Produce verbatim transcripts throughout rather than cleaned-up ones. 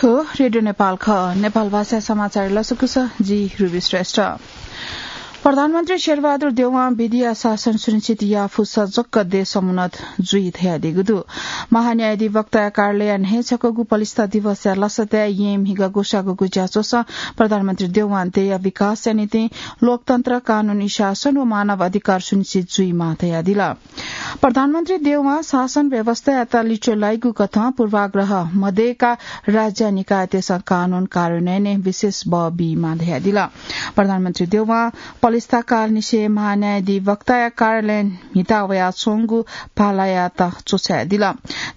रेडियो नेपाल खः। नेपाल भाषा समाचार लसकुस, जि रुबी श्रेष्ठ। प्रधानमन्त्री शेरबहादुर देउवां विधिया शासन सुनिश्चित याफुसा जक्क देश समुन्नत जुइ धयादीगु दु। महान्यायाधिवक्ताया कार्यालयया न्हय् छकःगु पलिस्था दिवसया लसताय् येँ म्हिगः ग्वसाःगु ज्याझ्वलय् प्रधानमन्त्री देउवां देय्‌या विकासया निंतिं लोकतन्त्र, कानूनी शासन व मानव अधिकार सुनिश्चित जुइमाः धयादिल। प्रधानमन्त्री देउवां शासन व्यवस्थायात लिच्वः लाइगु कथं पूर्वाग्रह मदय्‌का राज्य निकायतय्‌सं कानून कार्यान्वयनय् विशेष बः बीमाः धयादिल। प्रधानमन्त्री देउवां पलिस्था कालनिसें महान्यायाधिवक्ताया कार्यालयय् म्हिता वयाच्वंगु भालायात च्वछायादिल।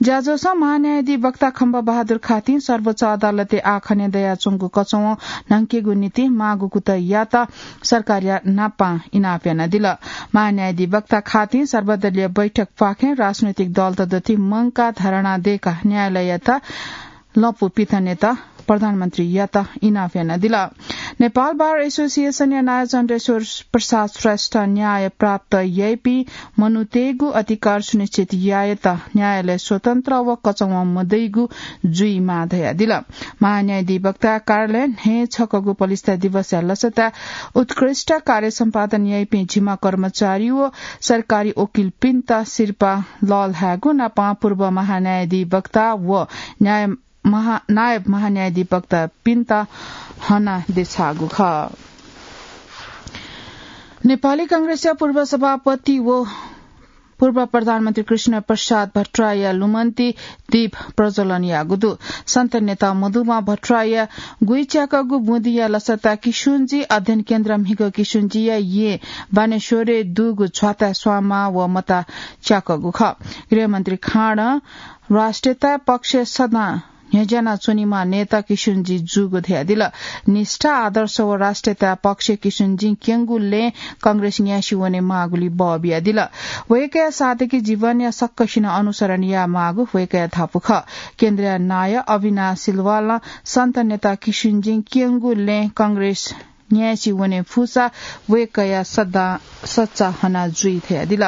ज्याझ्वलय् महान्यायाधिवक्ता खम्बा बहादुर खातिं सर्वोच्च अदालतय् आखने दयाच्वंगु कचवं न्हंकेगु निंतिं माःगु कुतः यात सरकारया नापां इनाप यानादिल। महान्यायाधिवक्ता खातिं सर्वदलीय बैठक प्वाखें राजनैतिक दलत दथुइ मंकाः धारणा दय्‌काः न्यायालययात लँपु पिथनेत प्रधानमन्त्रीयात इनाप यानादिल। नेपाल बार एसोसिएसनया नायः चन्द्रेश्वर प्रसाद श्रेष्ठं न्याय प्राप्त याइपिं मनूतय्‌गु अधिकार सुनिश्चित यायेत न्यायालय स्वतन्त्र व कचवं मदइगु जुइमाः धयादिल। महान्यायाधिवक्ता कार्यालयय् न्हय् छकःगु पलिस्था दिवसया लसताय् उत्कृष्ट कार्य सम्पादन याइपिं जिम्मा कर्मचारी व सरकारी वकिलपिन्त सिरपाः लःल्हायेगु नापं पूर्व महान्यायाधिवक्ता व न्याय महा-, नायब महान्यायाधिवक्तापिन्त हना देछाःगु खः। नेपाली कांग्रेसया पूर्व सभापति व पूर्व प्रधानमन्त्री कृष्ण प्रसाद भट्टराईया लुमन्ति दीप प्रज्वलन याःगु दु। सन्त नेता मधुमा भट्टराईया गुइच्याकःगु बुँदिया लसताय् किशुनजी अध्ययन केन्द्र म्हिगः किशुनजीया येँ बानेश्वरय् दुगु झ्वाताय् स्वांमाः व मता च्याकःगु खः। गृहमन्त्री खाँडं राष्ट्रियता पक्ष सदां न्ह्यज्याना च्वनीम्ह नेता किशुनजी जूगु धयादिल। निष्ठा, आदर्श व राष्ट्रियता पक्ष किशुनजीं क्यंगु लँय् कांग्रेस न्यासि वने माःगुलिइ बः बियादिल। वय्‌कःया साधकी जीवनया सकसिनं अनुसरण यायेमाःगु वय्‌कःया धापू खः। केन्द्रीय नायः अविनाश सिलवालं सन्त नेता किशुनजीं क्यंगु लँय् कांग्रेस न्यासि वने फुसा वय्‌कःया सदां सच्चा हना जुइ धयादिल।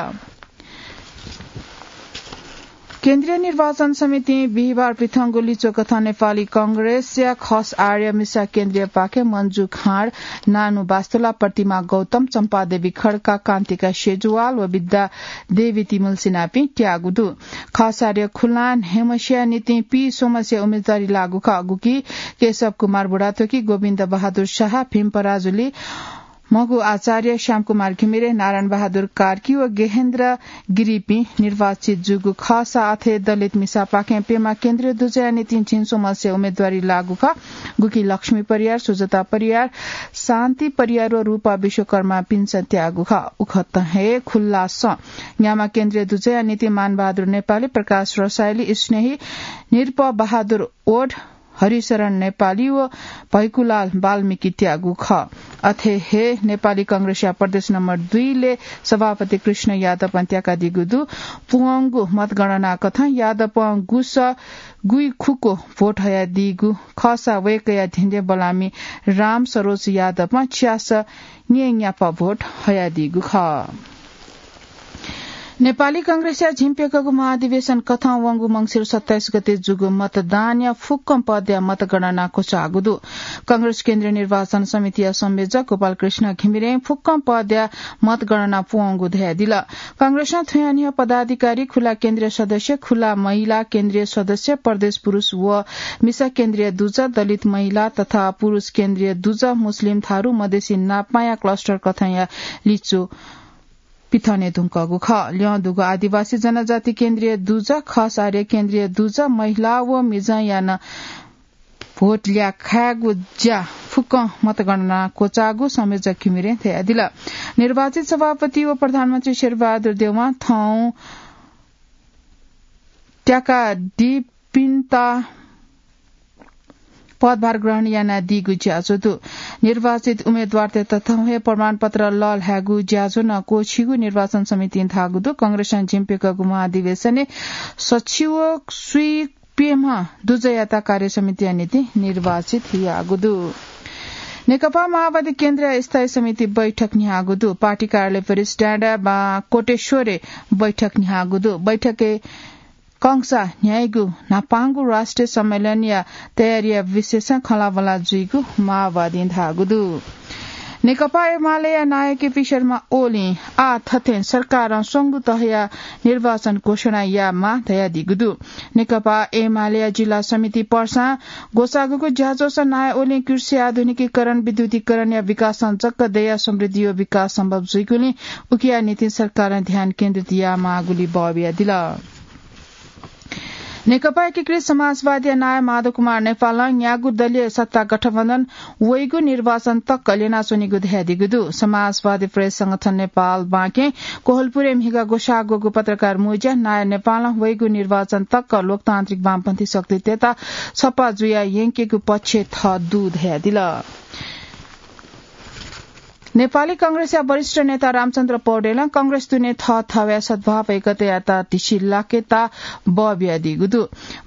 केन्द्रीय निर्वाचन समितिं बिहिबार पिथंगु लिच्वः कथं नेपाली कांग्रेसया खस आर्य मिसा केन्द्रीयपाखें मन्जु खाँड, नानु बास्तोला, प्रतिमा गौतम, चम्पादेवी खड्का, कान्तिका सेजुवाल व विद्या देवी तिमुल्सिनापिं त्याःगु दु। खस आर्य खुल्लां न्हय्‌म्हसिया निंतिं पीस्वम्हसे उम्मेदवारी लाःगु खः, गुकी केशव कुमार बुढाथोकी, गोविन्द बहादुर शाह, भीम पराजुली, मगु आचार्य, श्यामकुमार घिमिरे, नारायण बहादुर कार्की व गेहेन्द्र गिरीपिं निर्वाचित जूगु खःसा अथे दलित मिसापाखें प्यम्ह केन्द्रीय दुजःया निंतिं झिंस्वम्हसे उम्मेदवारी लाःगु खः। गुकी लक्ष्मी परियार, सुजता परियार, शान्ति परियार व रूपा विश्वकर्मापिन्सं त्याःगु खः। उकथं हे खुल्लासं न्याम्ह केन्द्रीय दुजःया निंतिं मानबहादुर नेपाली, प्रकाश रसाइली, स्नेही, नृप बहादुर ओड, हरिशरण नेपाली व भैकुलाल वाल्मीकि त्याःगु खः। अथे हे नेपाली कांग्रेसया प्रदेश नम्बर दुई ले सभापति कृष्ण यादवं त्याकादीगु दु। पुवंगु मतगणना कथं यादवं गुस गुइखुकु भोट हयादीगु खःसा वय्‌कःया धिंधें बलामि राम सरोज यादवं च्यास न्येन्यापा भोट हयादीगु खः। नेपाली कांग्रेसया झिंप्यकःगु महाधिवेशन कथं वंगु मंसिर सत्ताइस गते जूगु मतदानया फुक्कं पदया मतगणना क्वचाःगु दु। कांग्रेस केन्द्रीय निर्वाचन समितिया संयोजक गोपाल कृष्ण घिमिरें फुक्कं पदया मतगणना पुवंगु धयादिल। कांग्रेसं थुया न्ह्यः पदाधिकारी, खुला केन्द्रीय सदस्य, खुला महिला केन्द्रीय सदस्य, प्रदेश पुरुष व मिसा केन्द्रीय दुजः, दलित महिला तथा पुरुष केन्द्रीय दुजः, मुस्लिम, थारु, मधेसी नापांया क्लस्टर कथंया लिच्वः पिथने धुंकूगु खः। ल्यं दुगु आदिवासी जनजाति केन्द्रीय दुजः, खस आर्य केन्द्रीय दुजः, महिला व मिजंया नं भोट ल्याखायेगु ज्या फुक्कं मतगणना क्वचाःगु संयोजक घिमिरें धयादिल। निर्वाचित सभापति व प्रधानमन्त्री शेरबहादुर देउवां थौं त्याकादीपिन्त पदभार ग्रहण यानादीगु ज्याझ्वः दु। निर्वाचित उम्मेदवारतय्‌त थौं हे प्रमाणपत्र लःल्हायेगु ज्याझ्वः नं क्वःछीगु निर्वाचन समितिं धाःगु दु। कांग्रेसं झिंप्यकःगु महाधिवेशनय् सछि व स्वीप्यम्ह दुजःयात कार्यसमितिया निंतिं निर्वाचित याःगु दु। नेकपा माओवादी केन्द्रीय स्थायी समिति बैठक न्ह्याःगु दु। पार्टी कार्यालय परिसर डाँडा बां कोटेश्वरय् बैठक न्ह्याःगु दु। बैठकय् कंसा न्ह्याइगु न्हापांगु राष्ट्रिय सम्मेलनया तयारीया विषयसं खँल्हाबल्हा जुइगु माओवादीं धाःगु दु। नेकपा एमालेया नायः केपी शर्मा ओलीं आः थथें सरकारं स्वंगू तहया निर्वाचन घोषणा यायेमाः धयादीगु दु। नेकपा एमालेया जिल्ला समिति पर्सां ग्वसाःगु ज्याझ्वलय् नायः ओलीं कृषि आधुनिकीकरण, विद्युतीकरणया विकासं जक देय्‌या समृद्धियो विकास सम्भव जुइगुलिं उकिया निंतिं सरकारं ध्यान केन्द्रित यायेमाःगुली बः बियादिल। नेकपा एकीकृत समाजवादीया नायः माधव कुमार नेपालं न्यागू दलीय सत्ता गठबन्धन वइगु निर्वाचन तक ल्यनाच्वनीगु धयादीगु दु। समाजवादी प्रेस संगठन नेपाल बाँके कोहलपुरय् म्हिगः ग्वसाःगु पत्रकार मुँज्यां नायः नेपालं वइगु निर्वाचन तक लोकतान्त्रिक वामपन्थी शक्तितय्‌त छप्पा जुया यंकेगु पक्ष थः दु धयादिल। नेपाली कांग्रेसया वरिष्ठ नेता रामचन्द्र पौडेलं कांग्रेस दुने थःथःया सद्भाव एकतायात धिसी लाकेत बः बियादीगु दु।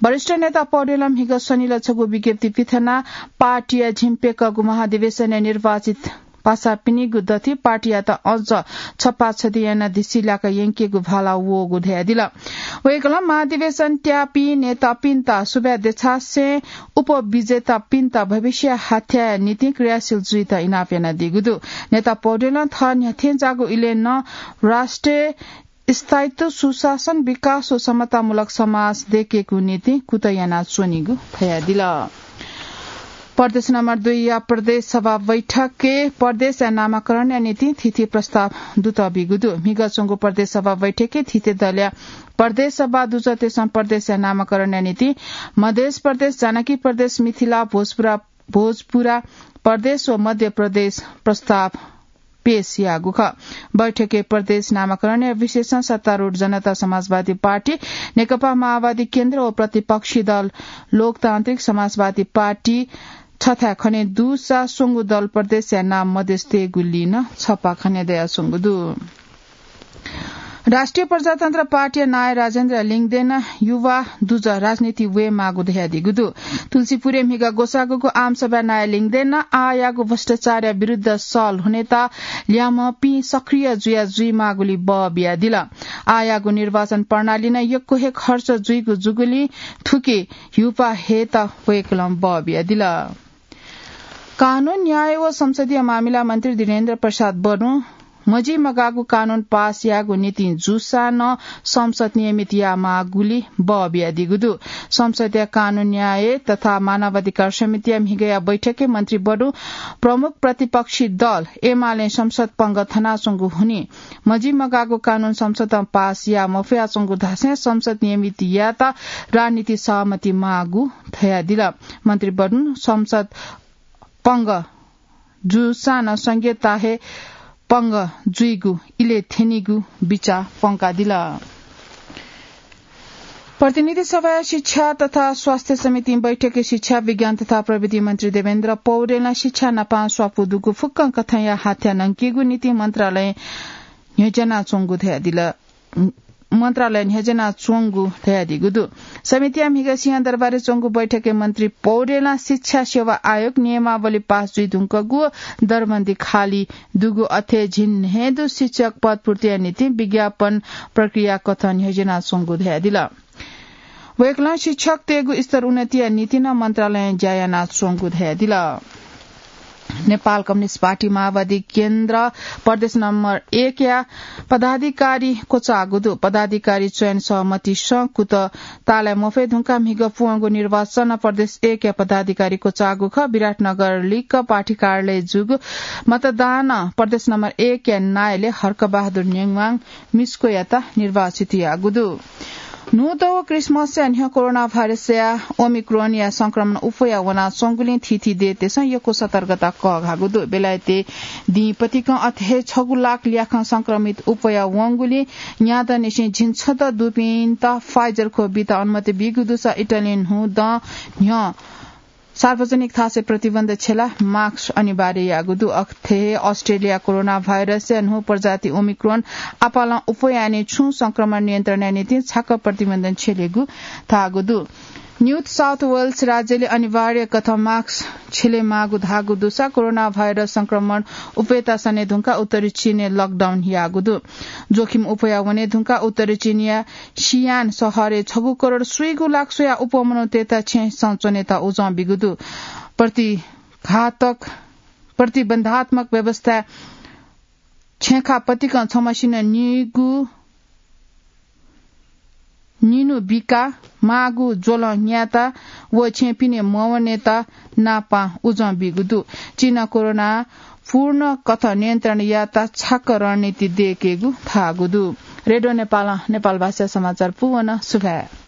वरिष्ठ नेता पौडेलं म्हिगः शनिलय् छगू विज्ञप्ति पिथनाः पार्टीया झिंप्यकःगु महाधिवेशनय् निर्वाचित पासापिनिगु दथुइ पार्टीयात अझ छप्पा छधी यानाः धिसी लाका यंकेगु भाला वःगु धयादिल। वय्‌कलं महाधिवेशन त्याःपिं नेतापिन्त सुभाय् देछासें उपविजेतापिन्त भविष्य हाथ्याया निंतिं क्रियाशील जुइत इनाप यानादीगु दु। नेता पौडेलं थः न्ह्यथेंज्याःगु इलय् नं राष्ट्रिय स्थायित्व, सुशासन, विकास व समतामूलक समाज दयेकेगु निंतिं कुतः यानाच्वनीगु धयादिल। प्रदेश नम्बर दुईया प्रदेश सभा बैठकय् प्रदेशया नामाकरणया निंतिं थीथी प्रस्ताव दुत बीगु दु। म्हिगः च्वंगु प्रदेश सभा बैठकय् थीथी दलया प्रदेश सभा दुजःतय्‌सं प्रदेशया नामाकरणया निंतिं मधेश प्रदेश, जानकी प्रदेश, मिथिला, भोजपुरा, भोजपुरा प्रदेश व मध्य प्रदेश प्रस्ताव पेश याःगु खः। बैठकय् प्रदेश नामाकरणया विषयसं सत्तारूढ जनता समाजवादी पार्टी, नेकपा माओवादी केन्द्र व प्रतिपक्षी दल लोकतान्त्रिक समाजवादी पार्टी छथाय् खने दुसा स्वंगू दल प्रदेशया नाम मधेश तयेगुलिं नं छप्पा खने दयाच्वंगु दु। राष्ट्रिय प्रजातन्त्र पार्टीया नायः राजेन्द्र लिङदेन युवा दुजः राजनीति वयेमाःगु धयादीगु दु। तुलसीपुरय् म्हिगः ग्वसाःगु आमसभाय् नायः लिङदेनं आःयागु भ्रष्टाचारया विरुद्ध सल हुनेत ल्याम्हपिं सक्रिय जुया जुइमाःगुली बः बियादिल। आःयागु निर्वाचन प्रणालीनं यक्व हे खर्च जुइगु जूगुलिं थुकी ह्यूपाः हयेत वय्‌कलं बः बियादिल। कानून, न्याय व संसदीय मामिला मन्त्री धीरेन्द्र प्रसाद बडुं मजिमगाःगु कानून पास यायेगु निंतिं जूसां नं संसद नियमित यायेमाःगुली बः बियादीगु दु। संसदया कानून, न्याय तथा मानवाधिकार समितिया म्हिगःया बैठकय् मन्त्री बडुं प्रमुख प्रतिपक्षी दल एमालें संसद पंगः थनाच्वंगु हुनिं मजिमगाःगु कानून संसदं पास याये मफयाच्वंगु धासें संसद नियमित यायेत राजनीतिक सहमति माःगु धयादिल। मन्त्री बडुं संसद पंगः जूसां नं संघीयता हे पंगः जुइगु इलय् थ्यनीगु बिचाः प्वंकादिल। प्रतिनिधि सभाया शिक्षा तथा स्वास्थ्य समितिं बैठकय् शिक्षा, विज्ञान तथा प्रविधि मन्त्री देवेन्द्र पौडेलं शिक्षा नापं स्वापू दुगु फुक्कं कथंया हाथ्या नंकेगु निंतिं मन्त्रालय न्ह्यज्यानाच्वंगु धयादिल। मन्त्रालय न्ह्यज्यानाच्वंगु धयादीगु दु। समितिया म्हिगः सिंहदरबारय् च्वंगु बैठकय् मन्त्री पौडेलं शिक्षा सेवा आयोग नियमावली पास जुइधुंकूगु, दरबन्दी खाली दुगु अथे झिंन्हय्दु शिक्षक पद पूर्तिया निंतिं विज्ञापन प्रक्रिया कथं न्ह्यज्यानाच्वंगु धयादिल। वय्कलं शिक्षकतय्गु स्तर उन्नतिया निंतिं नं मन्त्रालयं ज्या यानाच्वंगु धयादिल। नेपाल कम्युनिस्ट पार्टी माओवादी केन्द्र प्रदेश नम्बर एकया पदाधिकारी क्वचाःगु दु। पदाधिकारी चयन सहमतिसं कुतः ताःलाये मफयेधुंकाः म्हिगः पुवंगु निर्वाचनं प्रदेश एकया पदाधिकारी क्वचाःगु खः। विराटनगर लिक्क पार्टी कार्यालय जूगु मतदानं प्रदेश नम्बर एकया नायःले हर्कबहादुर नेवाङ मिस्कोयात निर्वाचित याःगु दु। न्हूदँ व क्रिसमसया न्ह्यः कोरोना भाइरसया ओमिक्रोनया संक्रमण उफया वनाच्वंगुलिं थीथी देय्‌तय्सं यक्व सतर्कता कःघाःगु दु। बेलायतय् दिं पतिकं अथे हे छगू लाख ल्याखं संक्रमित उफया वंगुलिं न्यादँनिसें झिंछदँ दुपिन्त Pfizer ख्वः बीत अनुमति बीगु दुसा इटालीं न्हूदँ न्ह्यः सार्वजनिक थासय् प्रतिबन्ध छ्यलाः mask अनिवार्य याःगु दु। अथे हे अस्ट्रेलियां कोरोना भाइरसया न्हू प्रजाति ओमिक्रोन आपालं उफया यानाः छुं संक्रमण नियन्त्रणया निंतिं छाकः प्रतिबन्ध छ्यलेगु धाःगु दु। न्यू साउथ वेल्स राज्यले अनिवार्य कथं मास्क छ्यले माःगु धाःगु दुसा कोरोना भाइरस संक्रमण उपेता सने धुंका उत्तरी चीनय् लकडाउन याःगु दु। जोखिम उपेया वने धुंका उत्तरी चीनया सियान शहरय् छगू करोड स्वीगू लाख स्वया उपमनुतेता छेँ संचनेता उजं बिगु दु। प्रतिघातक प्रतिबन्धात्मक व्यवस्था छेँखा पतिकं छम्हसिनं निगू निनु बिका माःगु ज्वलं न्यायेता व छेँपिने मवनेता नापां उजं बीगु दु। चीनं कोरोना पूर्ण कथं नियन्त्रण यायेता छाक्क रणनीति दयेकेगु धाःगु दु। रेडियो नेपालं नेपाल भाषा समाचार पूवन। सुभाय्।